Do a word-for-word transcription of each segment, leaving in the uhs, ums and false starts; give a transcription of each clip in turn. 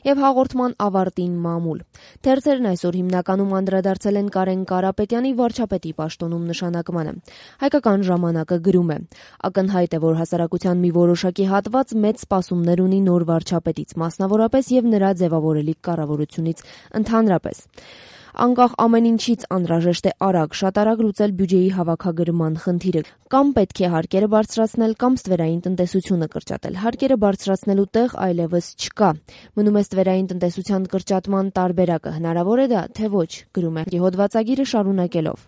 եւ հաղորդման ավարտին մամուլ։ Թերթերն այսօր հիմնականում անդրադարձել են Կարեն Կարապետյանի վարչապետի պաշտոնում նշանակմանը։ Հայկական ժամանակը գրում է. ակնհայտ է, որ հասարակության մի որոշակի հատված մեծ սպասումներ ունի նոր վարչապետից, մասնավորապես եւ նրա ձևավորելիք կառավարությունից ընդհանրապես։ Անկախ ամեն ինչից անհրաժեշտ է արագ, շատ արագ լուծել բյուջեի հավաքագրման խնդիրը, կամ պետք է հարկերը բարձրացնել, կամ ստվերային տնտեսությունը կրճատել։ Հարկերը բարձրացնելու տեղ այլևս չկա։ Մնում է ստվերային տնտեսության կրճատման տարբերակը, հնարավոր է դա, թե ոչ, գրում է հոդվածագիրը շարունակելով։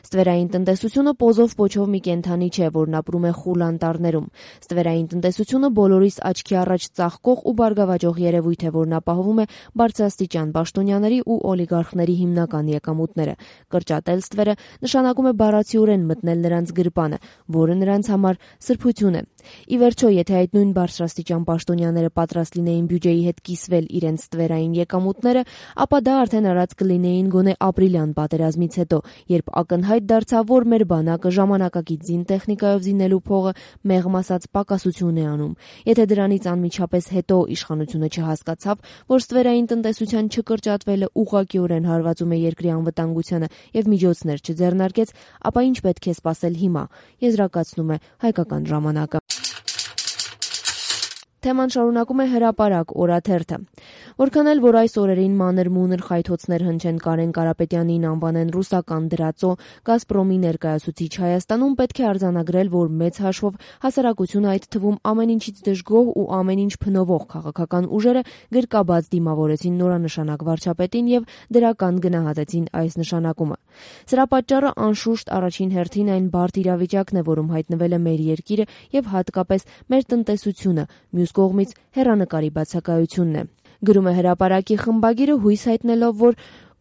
Ստվերային տնտեսությունը պոզով պոչով մի կենդանի չէ, որն ապրում է խուլ անտառներում։ Ստվերային տնտեսությունը բոլորիս աչքի առաջ ծաղկող ու բարգավաճող երևույթ է, որն ապահովում է բարձրաստիճան պաշտոնյաների ու օլիգարխների հիմնական եկամուտները։ Կրճատել ստվերը նշանակում է բառացիորեն մտնել նրանց գրպանը, որը նրանց համար սրբություն է։ Ի վերջո, եթե այդ նույն բարձրաստիճան պաշտոնյաները պատրաստ լինեին բյուջեի հետ կիսվել իրենց ստվերային եկամուտները, ապա դա արդեն արած կլինեին գոնե ապրիլյան պատերազմից հետո, երբ ակնհայտ դարձավ, որ մեր բանակը ժամանակակից զինտեխնիկայով զինելու փողը մեղմ ասած պակասություն է անում։ Եթե դրանից անմիջապես հետո իշխանությունը չհասկացավ, որ ստվերային տնտեսության չկրճատվելը ուղղակիորեն հարվածում է երկրի անվտանգությանը եւ միջոցներ չձեռնարկեց, ապա ինչ պետք է սպասել հիմա, եզրակացնում է Հայկական ժամանակը։ Թեման շարունակում է Հրապարակ օրաթերթը։ Որքան էլ որ այս օրերին մանր-մունր խայթոցներ հնչեն Կարեն Կարապետյանին անվանեն ռուսական դրածո, Գազպրոմի ներկայացուցիչ Հայաստանում, պետք է արձանագրել, որ մեծ հաշվով հասարակությունը, այդ թվում ամեն ինչից դժգոհ ու ամեն ինչ փնովող քաղաքական ուժերը գրկաբաց դիմավորեցին նորանշանակ վարչապետին եւ դրական գնահատեցին այս նշանակումը։ Սրա պատճառը անշուշտ առաջին հերթին այն բարդ իրավիճակն է, որում հայտնվել է մեր երկիրը եւ հատկապես մեր տնտեսությունը, մյուս կողմից հեռանկարի բացակայությունն է։ Գրում է Հրապարակի խմբագիրը, հույս հայտնելով, որ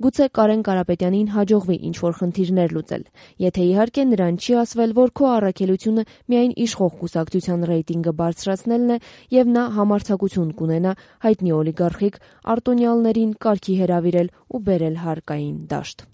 գուցե Կարեն Կարապետյանին հաջողվի ինչ-որ խնդիրներ լուծել։ Եթե իհարկե նրան չի ասվել, որ քո առաքելությունը միայն իշխող կուսակցության ռեյտինգը բարձրացնելն է եւ նա համարձակություն կունենա հայտնի օլիգարխիկ արտոնյալներին կարգի հրավիրել ու բերել հարկային դաշտ։